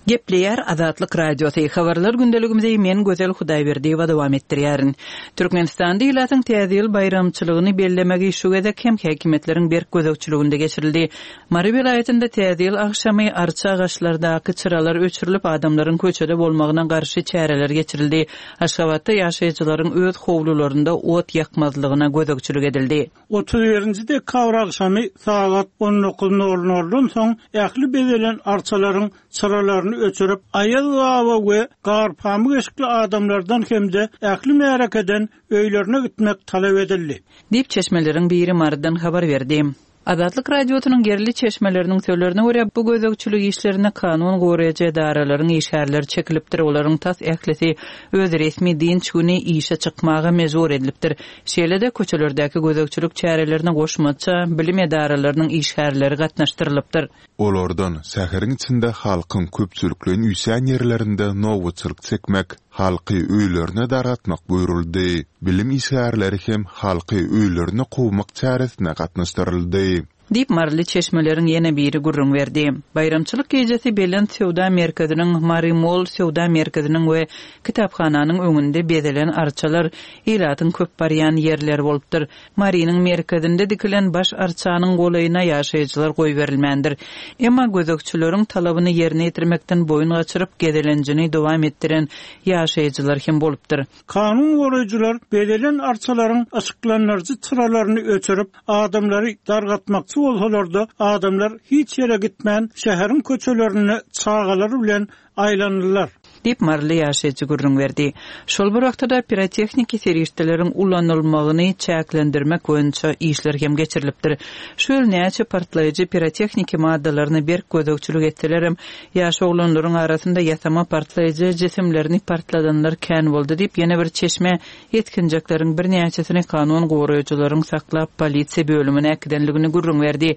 Gepleýär Azatlyk Radiosy, Habarlar gündeligimizi men Gözel Hudaýberdiýewa dowam etdirýärin. Türkmenistanda ilatyň Täze ýyl baýramçylygyny bellemegi şu gezek hem häkimiýetleriň berk gözegçiliginde geçirildi. Mary welaýatynda Täze ýyl agşamy arça agaçlardaky çyralar öçürilip, adamlaryň köçede bolmagyna garşy çäreler geçirildi. Aşgabatda ýaşaýjylaryň öz howlularynda ot ýakmazlygyna gözegçilik edildi. 31 dekabr agşamy sagat on dokuz nol noldan soň ähli bezelen arçalaryň çyralaryny öçürip, Aýaz baba we gar-pamyk eşikli adamlardan hem-de ähli märekeden öýlerine gitmek talap edildi. Diýip, çeşmeleriň biri Marydan habar berdi. Azatlyk Radiosynyň ýerli çeşmeleriniň sözlerine görä, bu gözegçilik işlerine kanun goraýjy edaralaryň işgärleri çekilipdir, olaryň tas ählisi öz resmi dynç güni işe çykmaga mejbur edilipdir. Şeýle-de, köçelerdäki gözegçilik çärelerine goşmaça bilim edaralarynyň işgärleri gatnaşdyrylypdyr. Olardan şäheriň içinde halkyň köpçülikleýin üýşýän ýerlerinde nobatçylyk çekmek, halky öýlerine dargatmak buýruldy. Bilim işgärleri hem halky öýlerine kowmak çäresine gatnaşdyryldy. Diýip, maryly çeşmeleriň ýene biri gürrüň berdi. Baýramçylyk gijesi Belent söwda merkeziniň, Mary Mall söwda merkeziniň we kitaphananyň öňünde bezelen arçalar ilatyň köp barýan ýerleri bolupdyr. Marynyň merkezinde dikilen baş arçanyň golaýyna ýaşaýjylar goýberilmändir. Emma gözegçileriň talabyny ýerine ýetirmekden boýun gaçyryp, gezelenjini dowam etdiren ýaşaýjylar hem bolupdyr. Kanun goraýjylar bezelen arçalaryň yşyklandyryjy çyralaryny öçürip, adamlary dargatmakçy bolsalar-da, adamlar hiç ýere gitmän, şäheriň köçelerinde çagalary bilen aýlandylar. Diýip, maryly ýaşaýjy gürrüň berdi. Şol bir wagtda-da, pirotehniki serişdeleriň ulanylmagyny çäklendirmek boýunça işler hem geçirilipdir. Şu ýyl näçe partlaýjy pirotehniki maddalaryna berk gözegçilik etselerem, Ýaş oglanlaryň arasynda ýasama partlaýjy jisimlerini partladanlar kän boldy diýip, ýene bir çeşme ýetginjekleriň birnäçesini kanun goraýjylaryň saklap, polisiýa bölümine äkidenligini gürrüň berdi.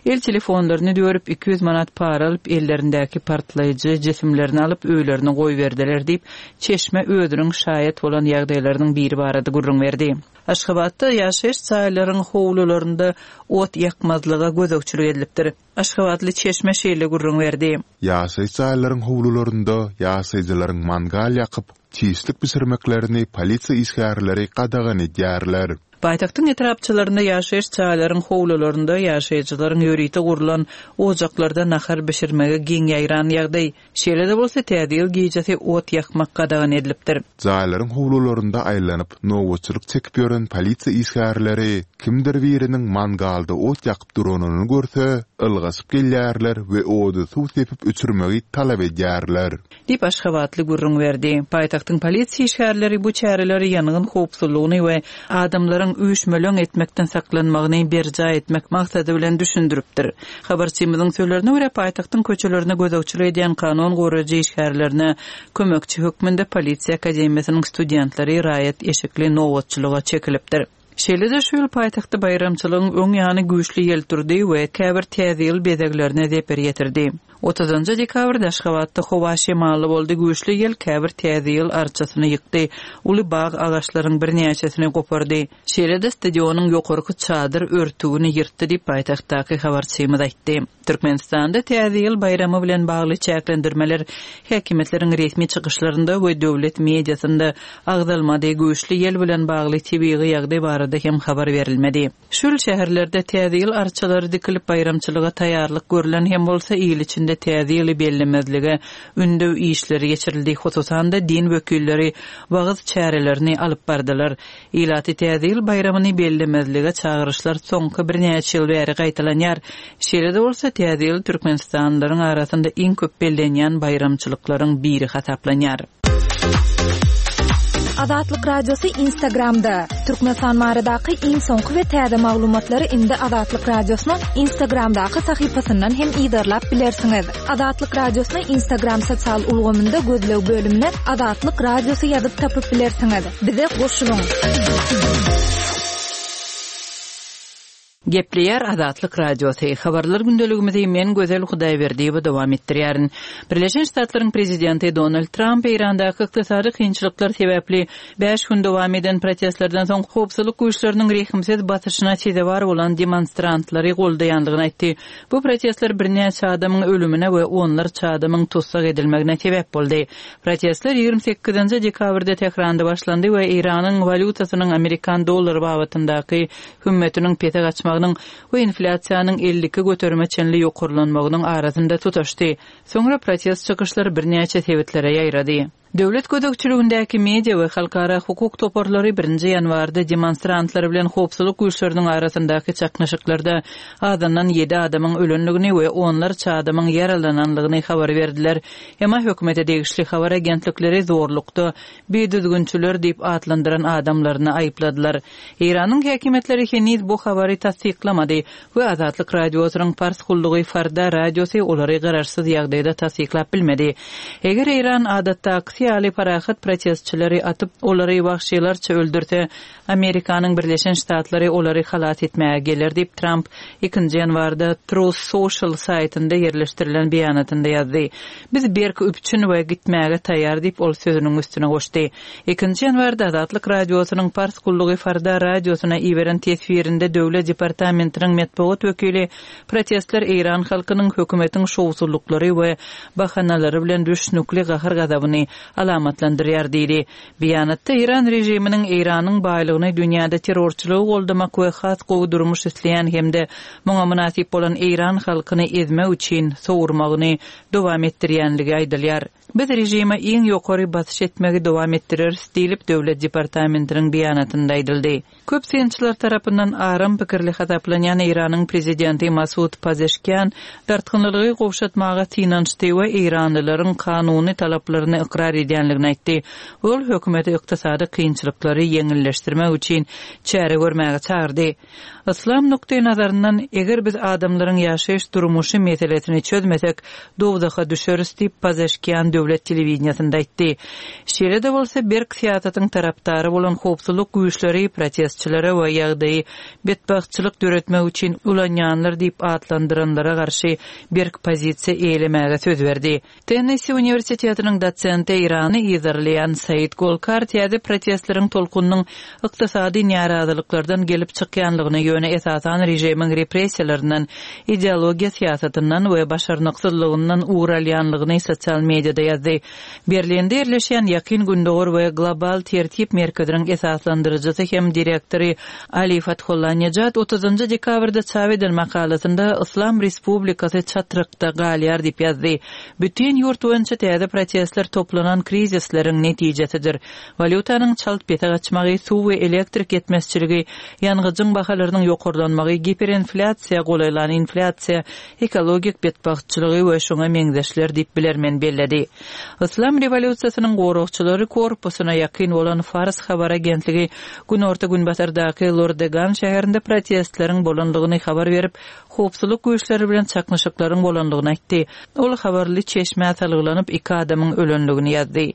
El telefonlaryny dörüp, 200 manat para alyp, ellerindäki partlaýjy jisimlerini alyp, öýlerine goýberdiler diýip, çeşme özüniň şaýat bolan ýagdaýlarynyň biri barada gürrüň berdi. Aşgabatda ýaşaýyş jaýlaryň howlularynda ot ýakmazlyga gözegçilik edilipdir. Aşgabatly çeşme şeýle gürrüň berdi. Ýaşaýyş jaýlaryň howlularynda ýaşaýjylaryň mangal ýakyp, çişlik bişirmeklerini polisiýa işgärleri gadagan edýärler. Paýtagtyň etrapçalarynda ýaşaýyş jaýlaryň howlularynda ýaşaýjylaryň ýörite gurlan ojaklarda nahar bişirmegi giň ýaýran ýagdaý. Şeýle-de bolsa, Täze ýyl gijesi ot ýakmak gadagan edilipdir. Jaýlaryň howlularynda aýlanyp, nobatçylyk çekip ýören polisiýa işgärleri kimdir biriniň mangalda ot ýakyp duranyny görse, ylgaşyp gelýärler we ody suw sepip öçürmegi talap edýärler. Diýip, aşgabatly gürrüň berdi. Paýtagtyň polisiýa işgärleri bu çäreleri ýangyn howpsuzlygyny we adamlaryň üýşmeleň etmekden saklanmagyny berjaý etmek maksady bilen düşündiripdir. Habarçymyzyň sözlerine görä, paýtagtyň köçelerine gözegçilik edýän kanun goraýjy işgärlerine kömekçi hökmünde Polisiýa akademiýasynyň studentleri raýat eşikli nobatçylyga çekilipdir. Şeýle-de şu ýyl paýtagtda baýramçylygyň öň ýany güýçli ýel turdy we käbir Täze ýyl bezeglerine zeper ýetirdi. Otuzynjy dekabrda Aşgabatda howa şemally boldy, güýçli ýel käbir Täze ýyl arçasyny ýykdy, uly bag agaçlaryň birnäçesini gopardy. Şeýle-de stadionyň ýokarky çadyr örtügini ýyrtdy diýip, paýtagtdaky habarçymyz aýtdy. Türkmenistanda Täze ýyl baýramy bilen bagly çäklendirmeler häkimiýetleriň resmi çykyşlarynda we döwlet mediasynda agzalmady, güýçli ýel bilen bagly tebigy ýagdaý barada hem habar berilmedi. Şu ýyl şäherlerde Täze ýyl arçalary dikilip, baýramçylyga taýýarlyk görlen hem bolsa, il içinde Täze ýyly bellemezlige ündew işleri geçirildi, hususan-da, din wekilleri wagyz çärelerini alyp bardylar. Ilaty Täze ýyl baýramyny bellemezlige çagyryşlar soňky birnäçe ýyl bäri gaýtalanýar. Şeýle-de bolsa, Täze ýyl türkmenistanlylaryň arasynda iň köp bellenýän baýramçylyklaryň biri hasaplanýar. Azatlyk Radiosy Instagramda, Türkmenistan baradaky iň soňky we täze maglumatlary indi Azatlyk Radiosynyň Instagramdaky sahypasyndan hem yzarlap bilersiňiz. Azatlyk Radiosyny Instagram sosial ulgamynda gözleg bölümine Azatlyk Radiosy ýazyp tapyp bilersiňiz. Bize goşulyň! Gepleýär Azatlyk Radiosy, Habarlar gündeligimizi men Gözel Hudaýberdiýewa dowam etdirýärin. Birleşen Ştatlaryň Prezidenti Donald Tramp Eýrandaky ykdysady kynçylyklar sebäpli bäş gün dowam eden protestlerden soň howpsuzlyk güýçleriniň rehimsiz basyşyna sezewar bolan demonstrantlary goldaýandygyny aýtdy. Bu protestler birnäçe adamyň ölümine we onlarça adamyň tussag edilmegine sebäp boldy. Protestler 28 dekabrda Tähranda başlandy we Eýranyň walýutasynyň amerikan dollary babatyndaky hümmetiniň pese gaçmagynyň we inflýasiýanyň 52 göterime çenli ýokarlanmagynyň arasynda tutaşdy. Soňra protest çykyşlary birnäçe sebitlere ýaýrady. Döwlet gözegçiligindäki media we halkara hukuk toparlary birinji ýanwarda demonstrantlar bilen howpsuzlyk güýçleriniň arasyndaky çaknyşyklarda azyndan ýedi adamyň ölendigini we onlarça adamyň ýaralanandygyny habar berdiler. Emma hökümete degişli habar agentlikleri zorlukda bidüzgünçiler diýip atlandyran adamlaryny aýypladylar. Eýranyň häkimiýetleri heniz bu habary tassyklamady we Azatlyk Radiosynyň pars gullugy Farda radiosy olary garaşsyz ýagdaýda tassyklap bilmedi. Eger Eýran adatdakysy ýaly parahat protestçileri atyp, olary wagşylarça öldürse, Amerikanyň Birleşen Ştatlary olary halas etmäge geler diýip, Tramp ikinji ýanwarda Truth Social saýtynda ýerleşdirilen beýanatynda ýazdy. Biz berk üpjün we gitmäge taýýar diýip, ol sözüniň üstüne goşdy. Ikinji ýanwarda Azatlyk Radiosynyň Pars gullugy Farda radiosyna iberen teswirinde Döwlet departamentiniň metbugat wekili protestler eýran halkynyň hökümetiň şowsuzlyklary we bahanalary bilen düşnükli gahar-gazabyny alamatlandyrýar diýdi. Beýanatda eýran režiminiň Eýranyň baýlygyny dünýäde terrorçylygy goldamak we has gowy durmuş isleýän hem-de muňa mynasyp bolan eýran halkyny ezmek üçin sowurmagyny dowam etdirýänligi aýdylýar. Biz režime iň ýokary basyş etmegi dowam etdireris diýlip, Döwlet departamentiniň beýanatynda aýdyldy. Köp synçylar tarapyndan aram pikirli hasaplanýan Eýranyň prezidenti Masud Pazeşkian dartgynlylygy gowşatmaga synanyşdy we eýranlylaryň kanuny talaplaryny ykrar edýänligini aýtdy. Ol hökümeti ykdysady kynçylyklary ýeňilleşdirmek üçin çäre görmäge çagyrdy. Yslam nukdaýnazaryndan, eger biz adamlaryň ýaşaýyş-durmuşy meselesini çözmesek, dowzaha düşeris diýip, Pazeşkian döwlet telewideniýesinde aýtdy. Şeýle-de bolsa, berk syýasatyň tarapdary bolan howpsuzlyk güýçleri protestçilere we ýagdaýy betbagtçylyk döretmek üçin ulanýanlar diýip atlandyranlara garşy berk pozisiýa eýelemäge söz berdi. Tennessee uniwersitetiniň dosenti Eýrany yzarlaýan Said Golkar täze protestleriň tolkunynyň ykdysady närazylyklardan gelip çykýanlygyny, ýöne esasan režimiň repressiýalaryndan, ideologiýa syýasatyndan we başarnyksyzlygyndan ugur alýanlygyny sosial mediada ýazdy. Berlinde ýerleşýän Ýakyn Gündogar we Global tertip merkeziniň esaslandyryjysy hem direktory Ali Fathollanejad otuzynjy dekabrda çap eden makalasynda Yslam Respublikasy çatrykda galýar diýip ýazdy. Bütin ýurt boýunça täze protestler toplanan krizisleriň netijesidir. Walýutanyň çalt pese gaçmagy, suw we elektrik ýetmezçiligi, ýangyjyň bahalarynyň ýokarlanmagy, giperinflýasiýa golaýlan inflýasiýa, ekologik betbagtçylygy we şuňa meňzeşler diýip bilermen belledi. Yslam rewolýusiýasynyň goragçylary korpusyna ýakyn bolan Fars habar agentligi günorta-günbatardaky Lordegan şäherinde protestleriň bolandygyny habar berip, howpsuzlyk güýçleri bilen çaknyşyklaryň bolandygyny aýtdy. Ol habarly çeşmä salgylanyp, iki adamyň ölendigini ýazdy.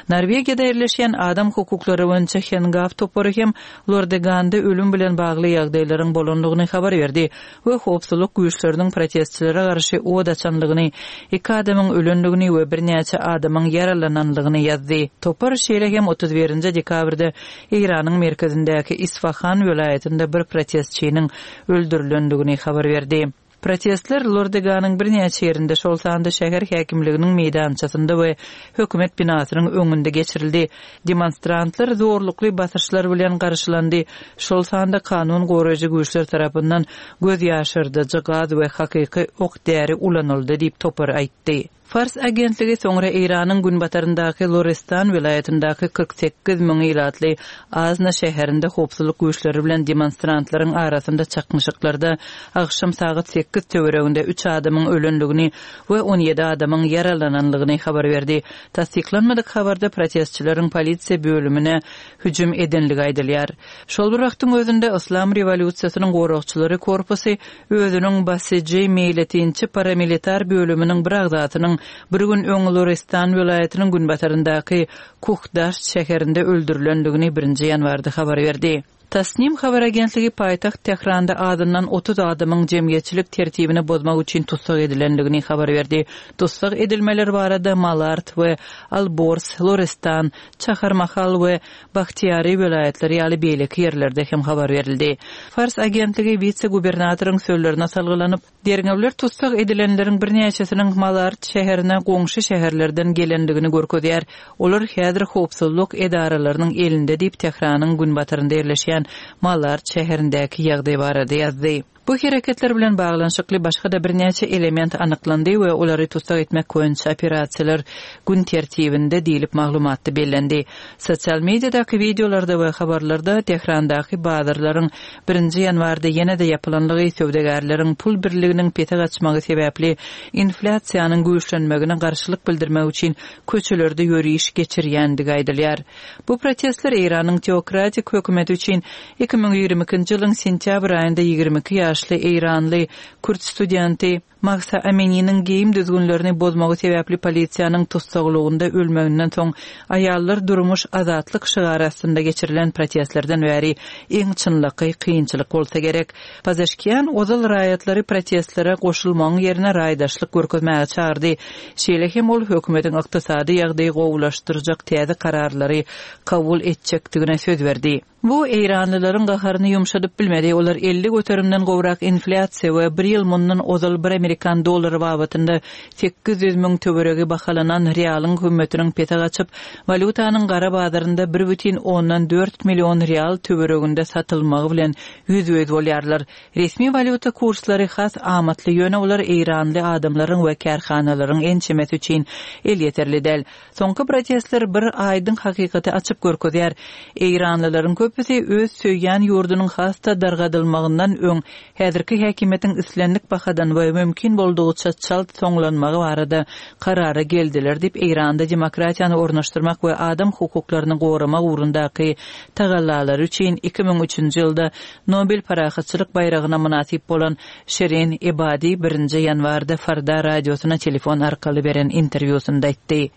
Norwegiýada ýerleşýän adam hukuklary boýunça Hengaw topary hem Lordeganda ölüm bilen bagly ýagdaýlaryň bolandygyny habar berdi. we howpsuzlyk güýçleriniň protestçilere garşy od açandygyny, iki adamyň ölendigini we birnäçe adamyň ýaralanandygyny ýazdy. Topar şeýle hem 31 dekabrda Eýranyň merkezindäki Isfahan welaýatynda bir protestçiniň öldürilendigini habar berdi. Protestler Lordeganyň birnäçe ýerinde, şol sanda şäher häkimliginiň meýdançasynda we hökümet binasynyň öňünde geçirildi. Demonstrantlar zorlukly basyşlar bilen garşylandy, şol sanda kanun goraýjy güýçler tarapyndan göz ýaşardyjy gaz we hakyky ok-däri ulanyldy diýip, topar aýtdy. Fars agentligi soňra Eýranyň günbataryndaky Lorestan welaýatyndaky 48 müň ilatly Azna şäherinde howpsuzlyk güýçleri bilen demonstrantlaryň arasynda çaknyşyklarda agşam sagat sekiz töwereginde üç adamyň ölendigini we 17 adamyň ýaralanandygyny habar berdi. Tassyklanmadyk habarda protestçileriň polisiýa bölümine hüjüm edenligi aýdylýar. Şol bir wagtyň özünde Yslam rewolýusiýasynyň goragçylary korpusy özüniň Basiji meýletinçi paramilitar bölüminiň bir agzasynyň bir gün öň Lorestan welaýatynyň günbataryndaky Kuhdaşt şäherinde öldürilendigini birinji ýanwarda habar berdi. Tasnim habar agentligi paýtagt Tähranda azyndan 30 adamyň jemgyýetçilik tertibini bozmak üçin tussag edilendigini habar berdi. Tussag edilmeler barada Malard we Alborz, Lorestan, Çaharmahal we Bahtiýari welaýatlary ýaly beýleki ýerlerde hem habar berildi. Fars agentligi wise-gubernatoryň sözlerine salgylanyp, derňewler tussag edilenleriň birnäçesiniň Malard şäherine goňşy şäherlerden gelendigini görkezýär. Olar häzir howpsuzlyk edaralarynyň elinde diýip, Tähranyň günbatarynda ýerleşýän Malard şäherindäki ýagdaý barada ýazdy. Bu hereketler bilen baglanyşykly başga-da birnäçe element anyklandy we olary tussag etmek boýunça operasiýalar gün tertibinde diýlip maglumatda bellendi. Sosial mediadaky wideolarda we habarlarda Tährandaky bazarlaryň birinji ýanwarda ýene-de ýapylanlygy, söwdagärleriň pul birliginiň pese gaçmagy sebäpli inflýasiýanyň güýçlenmegine garşylyk bildirmek üçin köçelerde ýöriş geçirýändigi aýdylýar. Bu protestler Eýranyň teokratik hökümeti üçin 2022-nji ýylyň sentýabr aýynda 22 ýaşly eýranly kürt studenti Mahsa Amininiň geýim düzgünlerini bozmagy sebäpli polisiýanyň tussaglygynda ölmeginden soň Aýallar, durmuş, azatlyk şygary astynda geçirilen protestlerden bäri iň çynlakaý kynçylyk bolsa gerek. Pazeşkian ozal raýatlary protestlere goşulmagyň ýerine raýdaşlyk görkezmäge çagyrdy. Şeýle hem ol hökümetiň ykdysady ýagdaýy gowulaşdyrjak täze kararlary kabul etjekdigine söz berdi. Bu eýranlylaryň gaharyny ýumşadyp bilmedi, olar 50 göterimden gowrak inflýasiýa we bir ýyl mundan ozal bir amerikan dollary babatynda 800 müň töweregi bahalanan rialyň hümmetiniň pese gaçyp, walýutanyň gara bazarynda bir bütin ondan dört million rial töwereginde satylmagy bilen ýüzbe-ýüz bolýarlar. Resmi walýuta kurslary has amatly, ýöne olar eýranly adamlaryň we kärhanalaryň ençemesi üçin elýeterli däl. Soňky protestler bir aýdyň hakykaty açyp görkezýär, eýranlylaryň köpüsi öz söýýän ýurdunyň has-da dargadylmagyndan öň häzirki häkimiýetiň islendik bahadan we mümkin boldugyça çalt soňlanmagy barada karara geldiler diýip, Eýranda demokratiýany ornaşdyrmak we adam hukuklaryny goramak ugrundaky tagallalary üçin 2003-nji ýylda Nobel parahatçylyk baýragyna mynasyp bolan Şirin Ebadi birinji ýanwarda Farda radiosyna telefon arkaly beren interwýusynda aýtdy.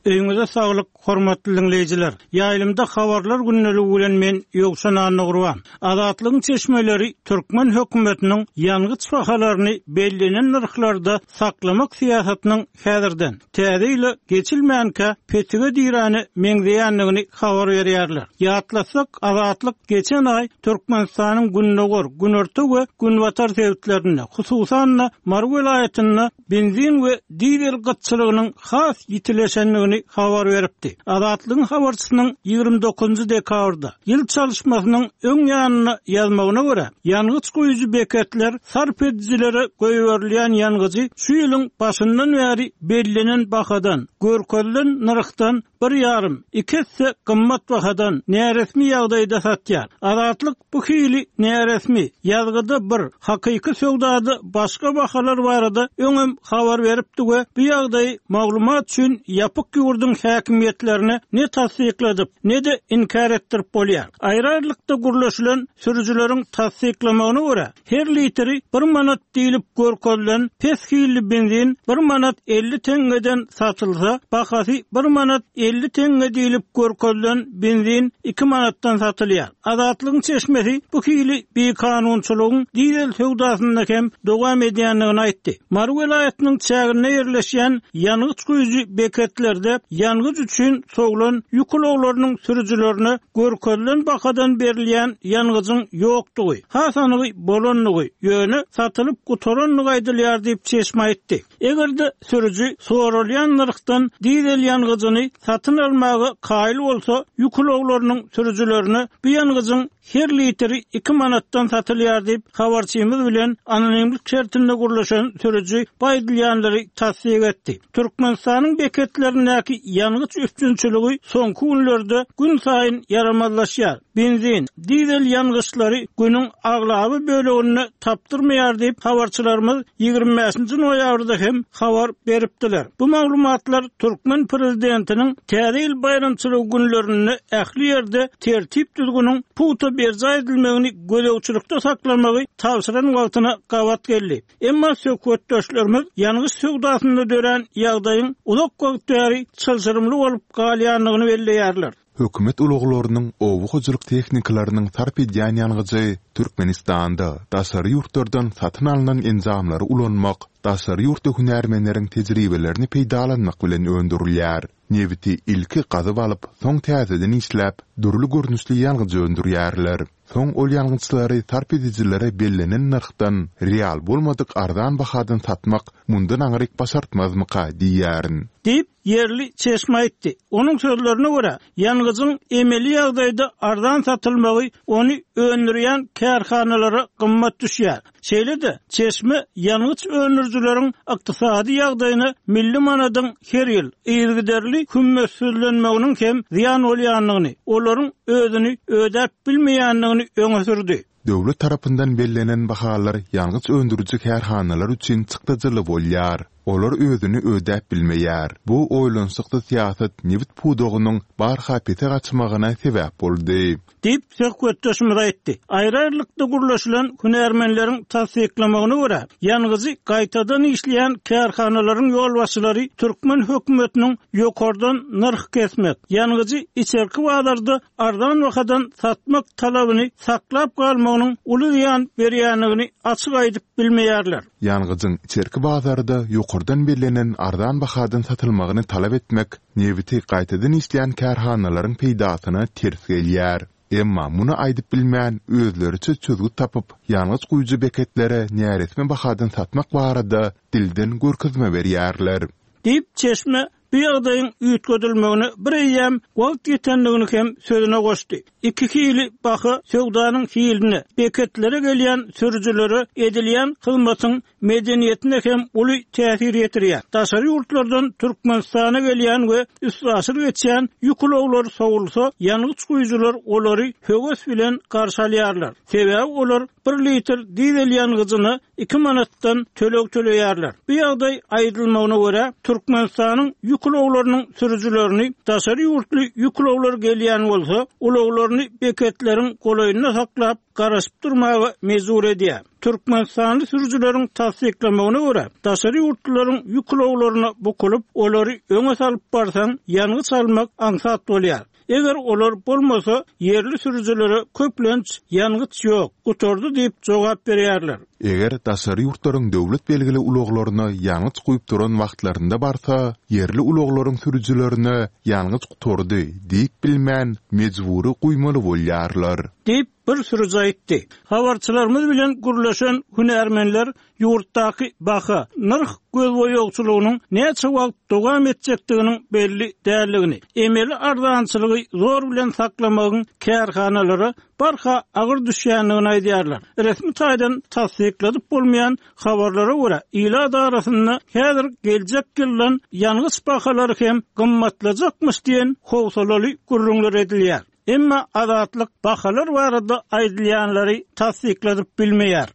Öýüňize saglyk, hormatly diňleýjiler! Ýaýlymda Habarlar gündeligi bilen men, Ýowşan Annagurban. Azatlygyň çeşmeleri türkmen hökümetiniň ýangyç bahalaryny bellenen nyrhlarda saklamak syýasatynyň häzirden, täze ýyla geçilmänkä petige diräne meňzeýändigini habar berýärler. Ýatlatsak, Azatlyk geçen aý Türkmenistanyň gündogar, günorta we günbatar sebitlerinde, hususan-da, Mary welaýatynda benzin we dizel gytçylygynyň has ýitileşendigini habar beripdi. Azatlygyň habarçysynyň 29-njy dekabrda, ýyl çalyşmasynyň öň ýanynda ýazmagyna görä, ýangyç guýujy beketler sarp edijilere goýberilýän ýangyjy şu ýylyň başyndan bäri bellenen bahadan, görkezilen nyrhdan bir ýarym, iki esse gymmat bahadan, näresmi ýagdaýda satýar. Azatlyk bu hili näresmi, ýazgyda bir, hakyky söwdada başga bahalar barada öňem habar beripdi we bu ýagdaýy maglumat üçin ýapyk ýurduň häkimiýetlerine ne tassykladyp, ne-de inkär etdirip bolýar. Aýry-aýrylykda gürleşilen sürüjileriň tassyklamagyna görä, Her litri bir manat diýlip görkezilen pes hilli benzin bir manat 50 teňňeden satylsa, bahasy bir manat 50 teňňe diýlip görkezilen benzin iki manatdan satylýar. Azatlygyň çeşmesi bu hili bikanunçylygyň dizel söwdasynda hem dowam edýändigini aýtdy. Mary welaýatynyň çäginde ýerleşýän ýangyç guýujy beketlerde ýangyç üçin sowlan ýük ulaglarynyň sürüjilerine görkezilen bahadan berilýän ýangyjyň ýokdugy, has anygy bolandygy, ýöne satylyp gutarandygy aýdylýar diýip, çeşme aýtdy. Eger-de sürüji soralýan nyrhdan dizel ýangyjyny satyn almaga kaýyl bolsa, ýük ulaglarynyň sürüjilerine bu ýangyjyň her litri iki manatdan satylýar diýip, habarçymyz bilen anonimlik şertinde gürleşen sürüji bu aýdylýanlary tassyk etdi. Türkmenistanyň beketlerindäki ýangyç üpjünçiligi soňky günlerde günsaýyn ýaramazlaşýar. Benzin, dizel ýangyçlary günüň aglaba böleginde tapdyrmaýar diýip, habarçylarymyz 25-nji noýabrda hem habar beripdiler. Bu maglumatlar türkmen prezidentiniň Täze ýyl baýramçylygy günlerinde ähli ýerde tertip-düzgüniň pugta berjaý edilmegini gözegçilikde saklamagy tabşyran wagtyna gabat geldi. Emma söhbetdeşlerimiz ýangyç söwdasynda dörän ýagdaýyň uzak wagt bäri çylşyrymly bolup galýandygyny belleýärler. Hökümet ulaglarynyň, oba hojalyk tehnikalarynyň sarp edýän ýangyjy Türkmenistanda daşary ýurtlardan satyn alnan enjamlary ulanmak, daşary ýurtly hünärmenleriň tejribelerini peýdalanmak bilen öndürilýär. Nebiti ilki gazyp alyp, soň täzeden işläp, dürli görnüşli ýangyç öndürýärler. Soň ol ýangyçlary sarp edijilere bellenen nyrhdan, real bolmadyk arzan bahadan satmak mundan aňryk başartmazmyka diýýärin. Diýip, ýerli çeşme aýtdy. Onuň sözlerine görä, ýangyjyň emeli ýagdaýda arzan satylmagy ony öndürýän kärhanalara gymmat düşýär. Şeýle-de, çeşme ýangyç öndürijileriň ykdysady ýagdaýyna milli manadyň her ýyl yzygiderli hümmetsizlenmeginiň hem zyýan bolýandygyny, olaryň özüni ödäp bilmeýändigini öňe sürdi. Döwlet tarapyndan bellenen bahalar ýangyç öndüriji kärhanalar üçin çykdajyly bolýar. Olar özüni ödäp bilmeýär. Bu oýlanyşyksyz syýasat nebit pudagynyň barha pese gaçmagyna sebäp boldy. Diýip, söhbetdeşimiz aýtdy. Aýry-aýrylykda gürleşilen hünärmenleriň tassyklamagyna görä, ýangyjy gaýtadan işleýän kärhanalaryň ýolbaşçylary türkmen hökümetiniň ýokardan nyrh kesmek, ýangyjy içerki bazarda arzan bahadan satmak talabyny saklap galmagynyň uly zyýan berýändigini açyk aýdyp bilmeýärler. Ýangyjyň içerki bazarda ýokardan bellenen arzan bahadan satylmagyny talap etmek nebiti gaýtadan işleýän kärhanalaryň peýdasyna ters gelýär. Emma muny aýdyp bilmän, özleriçe çözgüt tapyp, ýangyç guýujy beketlere näresmi bahadan satmak barada dilden görkezme berýärler. Diýip, çeşme bu ýagdaýyň üýtgedilmegine bireýýäm wagt ýetendigini hem sözüne goşdy. Iki hili baha söwdanyň hiline, beketlere gelýän sürüjilere edilýän hyzmatyň medeniýetine hem uly täsir ýetirýär. Daşary ýurtlardan Türkmenistana gelýän we üstaşyr geçýän ýük ulaglary sowulsa, ýangyç guýujylar olary höwes bilen garşy alýarlar. Sebäbi olar bir litr dizel ýangyjyna iki manatdan töleg töleýärler. Bu ýagdaý, aýdylmagyna görä, Türkmenistanyň ýük ulaglarynyň sürüjilerini daşary ýurtly ýük ulaglary gelýän bolsa, ulaglaryny beketleriň golaýynda saklap, garaşyp durmaga mejbur edýär. Türkmenistanly sürüjileriň tassyklamagyna görä, daşary ýurtlularyň ýük ulaglaryna bukulyp, olary öňe salyp barsaň, ýangyç almak aňsat bolýar. Eger olar bolmasa, ýerli sürüjilere köplenç ýangyç ýok, gutardy diýip jogap berýärler. Eger daşary ýurtlaryň döwlet belgili ulaglaryna ýangyç guýup duran wagtlarynda barsa, ýerli ulaglaryň sürüjilerine ýangyç gutardy diýip bilmän, mejbury guýmaly bolýarlar. Diýip, bir sürüji aýtdy. Habarçylarymyz bilen gürleşen hünärmenler ýurtdaky baha, nyrh gözboýagçylygynyň näçe wagt dowam etjekdiginiň belli däldigini, emeli arzançylygy zor bilen saklamagyň kärhanalara barha agyr düşýändigini aýdýarlar. Resmi taýdan tassykladyp bolmaýan habarlara görä, ilat arasynda häzir geljek ýyldan ýangyç bahalary hem gymmatlajakmyş diýen howsalaly gürrüňler edilýär. Emma Azatlyk bahalar barada aýdylýanlary tassykladyp bilmeýär.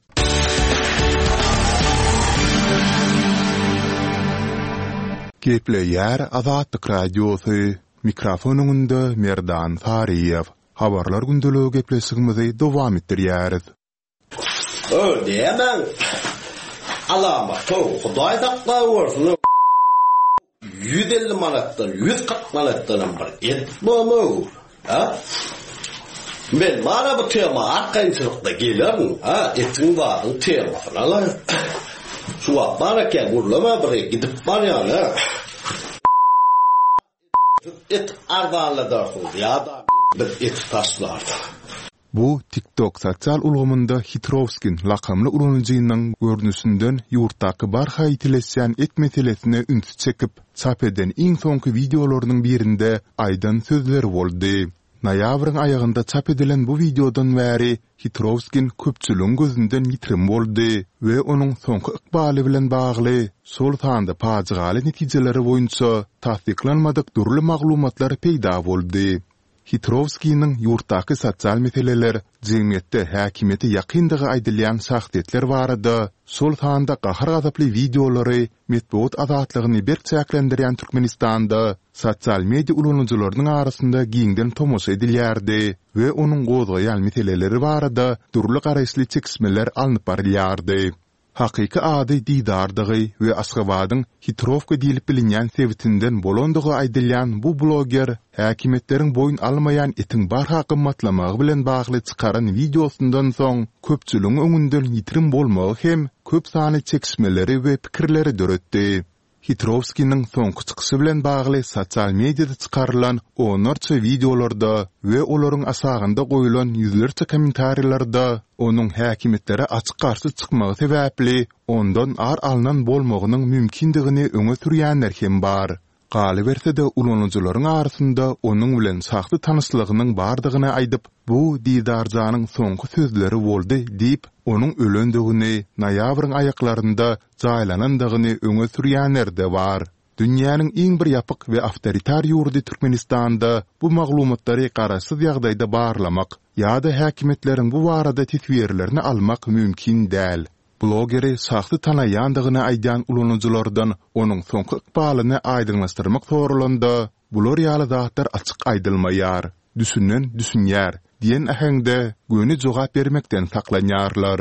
Gepleýär Azatlyk Radiosy, Mikrofon öňünde Merdan Saryýew. Habarlar gündeligi gepleşigimizi dowam etdirýäris. Öý diýemäň. Alamaty Hudaý saklawörsün. 150 manatdan, 140 manatdanam bir et bolmaw. Ha? Men mana bu tema arkaýynçylykda gelerin, ha, etiň zadyň temasyna la. Şu wagt bar eken gürleme bir gidip barýan, ha. Siz et arzanladarsyňyz ýa-da biz eti taşlarys. Bu TikTok sosial ulgamynda Hitrowskin lakamly ulanyjynyň görnüşinden ýurtdaky barha ýitileşýän et meselesine ünsi çekip, çap eden iň soňky wideolarynyň birinde aýdan sözleri boldy. Noýabryň aýagynda çap edilen bu wideodan bäri Hitrowskin köpçüligiň gözünden ýitirim boldy we onuň soňky ykbaly bilen bagly, şol sanda pajygaly netijeleri boýunça tassyklanmadyk dürli maglumatlar peýda boldy. Hitrowskiniň ýurtdaky sosial meseleler, jemgyýetde häkimiýete ýakyndygy aýdylýan şahsyýetler barada, şol sanda gahar-gazaply wideolary metbugat azatlygyny berk çäklendirýän Türkmenistanda sosial media ulanyjylarynyň arasynda giňden tomaşa edilýärdi we onuň gozgaýan meseleleri barada dürli garaýyşly çekişmeler alnyp barylýardy. Hakyky ady Didardygy we Aşgabadyň Hitrowka diýlip bilinýän sebitinden bolandygy aýdylýan bu bloger häkimiýetleriň boýun almaýan etiň barha gymmatlamagy bilen bagly çykaran wideosyndan soň köpçüligiň öňünden ýitirim bolmagy hem köp sanly çekişmeleri we pikirleri döretdi. Hitrowskiniň soňky çykyşy bilen bagly sosial mediada çykarylan onlarça wideolarda we olaryň aşagynda goýlan ýüzlerçe kommentariýalarda onuň häkimiýetlere açyk garşy çykmagy sebäpli ondan ar alnan bolmagynyň mümkindigini öňe sürýänler hem bar. Galyberse-de, ulanyjylaryň arasynda onuň bilen şahsy tanyşlygynyň bardygyny aýdyp, bu Didarjanyň soňky sözleri boldy diýip, onuň ölendigini noýabryň aýaklarynda jaýlanandygyny öňe sürýänler-de bar. Dünýäniň iň bir ýapyk we awtoritar ýurdy Türkmenistanda bu maglumatlary garaşsyz ýagdaýda barlamak ýa-da häkimiýetleriň bu barada teswirlerini almak mümkin däl. Blogeri şahsy tanaýandygyny aýdýan ulanyjylardan onuň soňky ykbalyny aýdyňlaşdyrmak soralanda, bular ýaly zatlar açyk aýdylmaýar, düşünen düşünýär diýen äheňde göni jogap bermekden saklanýarlar.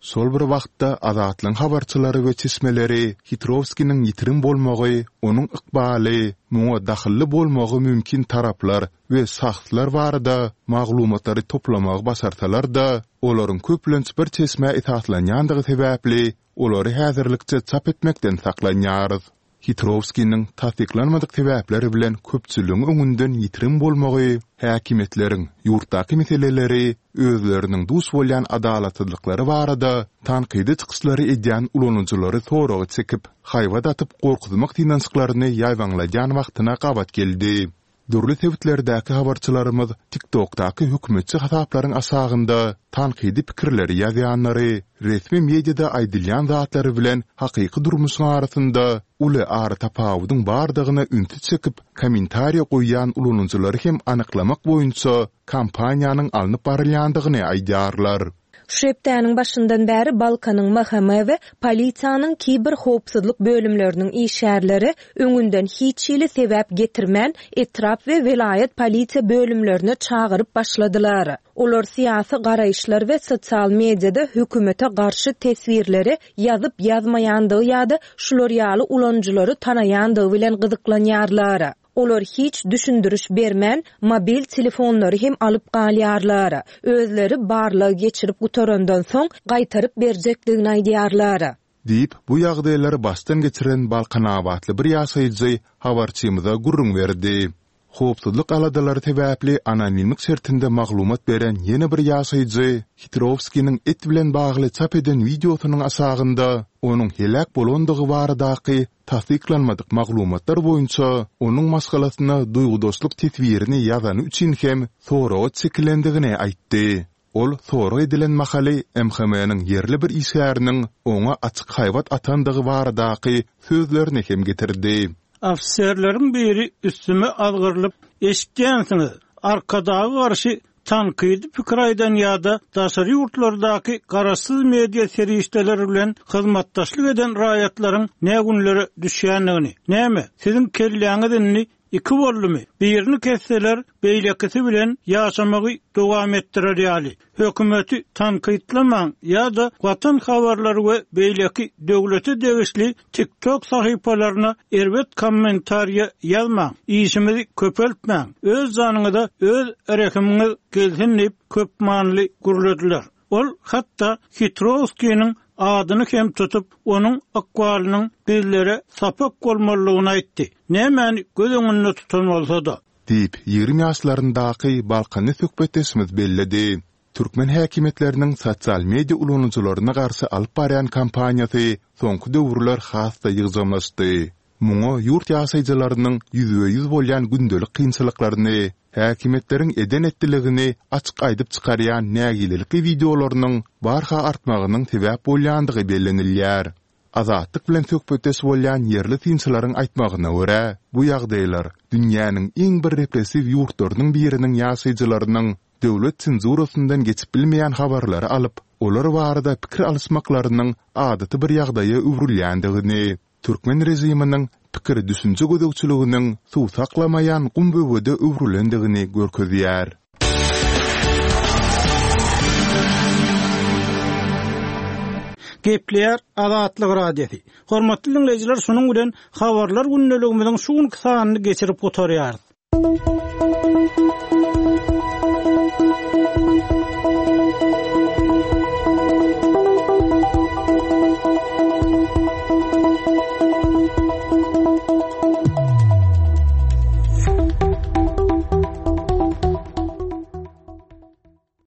Şol bir wagtda, Azatlygyň habarçylary we çeşmeleri Hitrowskiniň ýitirim bolmagy, onuň ykbaly, muňa dahylly bolmagy mümkin taraplar we şahslar barada maglumatlary toplamagy başarsalar-da, olaryň köplenç bir çeşmä esaslanýandygy sebäpli, olary häzirlikçe çap etmekden saklanýarys. Hitrowskiniň tassyklanmadyk sebäpler bilen köpçüligiň öňünden ýitirim bolmagy häkimiýetleriň ýurtdaky meseleleri, özleriniň duş bolýan adalatsyzlyklary barada tankydy çykyşlary edýän ulanyjylary soraga çekip, haýbat atyp gorkuzmak synanyşyklaryny ýaýbaňladýan wagtyna gabat geldi. Dürli sebitlerdäki habarçylarymyz TikTokdaky hökümetçi hasaplaryň aşagynda tankydy pikirleri ýazýanlary, resmi mediada aýdylýan zatlary bilen hakyky durmuşyň arasynda uly aratapawudyň bardygyna ünsi çekip, kommentariýa goýýan ulanyjylary hem anyklamak boýunça kampaniýanyň alnyp barylýandygyny aýdýarlar. Şu hepdäniň başyndan bäri Balkanyň MHM we polisiýanyň kiberhowpsuzlyk bölümleriniň işgärleri öňünden hiç hili sebäp getirmän, etrap we welaýat polisiýa bölümlerine çagyryp başladylar. Olar syýasy garaýyşlar we sosial mediada hökümete garşy teswirleri ýazyp-ýazmaýandygy ýa-da şular ýaly ulanyjylary tanaýandygy bilen gyzyklanýarlar. Olar hiç düşündiriş bermän, mobil telefonlary hem alyp galýarlar. Özleri barlag geçirip gutarandan soň, gaýtaryp berjekdigini aýdýarlar. Diýip, bu ýagdaýlary başdan geçiren balkanabatly bir ýaşaýjy habarçymyza gürrüň berdi. Howpsuzlyk aladalary sebäpli anonimlik şertinde maglumat beren ýene bir ýaşaýjy Hitrowskiniň et bilen bagly çap eden wideosynyň aşagynda onuň heläk bolandygy baradaky Tassyklanmadyk maglumatlar boýunça, onuň maşgalasyna duýgudaşlyk teswirini ýazany üçin hem soraga çekilendigini aýtdy. Ol sorag edilen mahaly MHM-niň ýerli bir işgäriniň oňa açyk haýbat atandygy baradaky sözlerini hem getirdi. Ofiserleriň biri üstüme azgyrylyp, Eşitýänsiňiz, Arkadaga garşy tankydy pikir aýdan ýa-da daşary ýurtlardaky garaşsyz media serişdeleri bilen hyzmatdaşlyk eden raýatlaryň nä günlere düşýändigini. Näme, siziň kelläňiz indi iki boldumy? Birini kesseler, beýlekisi bilen ýaşamagy dowam etdirer ýaly. Hökümeti tankytlamaň ýa-da Watan habarlary we beýleki döwlete degişli TikTok sahypalaryna erbet kommentariýa ýazmaň, işimizi köpeltmäň, öz janyňyza öz rehimiňiz gelsin diýip köpmanyly gürlediler. Ol hatda Hitrowskiniň adyny hem tutup, onuň ykbalynyň bizlere sapak bolmalydygyny aýtdy. Nämäni göz öňünde tutan bolsa-da. Diýip, 20 ýaşlaryndaky balkanly söhbetdeşimiz belledi. Türkmen häkimiýetleriniň sosial media ulanyjylaryna garşy alyp barýan kampaniýasy soňky döwürler has-da ýygjamlaşdy. Muňa ýurt ýaşaýjylarynyň ýüzbe-ýüz bolýan gündelik kynçylyklaryny, häkimiýetleriň eden-etdiligini açyk aýdyp çykarýan nägilelikli wideolarynyň barha artmagynyň sebäp bolýandygy bellenilýär. Azatlyk bilen söhbetdeş bolýan ýerli synçylaryň aýtmagyna görä, bu ýagdaýlar dünýäniň iň bir repressiw ýurtlarynyň biriniň ýaşaýjylarynyň döwlet senzurasyndan geçip bilmeýän habarlary alyp, olar barada pikir alyşmaklarynyň adaty bir ýagdaýa öwrülýändigini, türkmen režiminiň pikir-düşünje gözegçiliginiň suw saklamaýan gum böwede öwrülendigini görkezýär. Gepleýär Azatlyk Radiosy. Hormatly diňleýjiler, şunuň bilen Habarlar gündeligimiziň şu günki sanyny geçirip gutarýarys.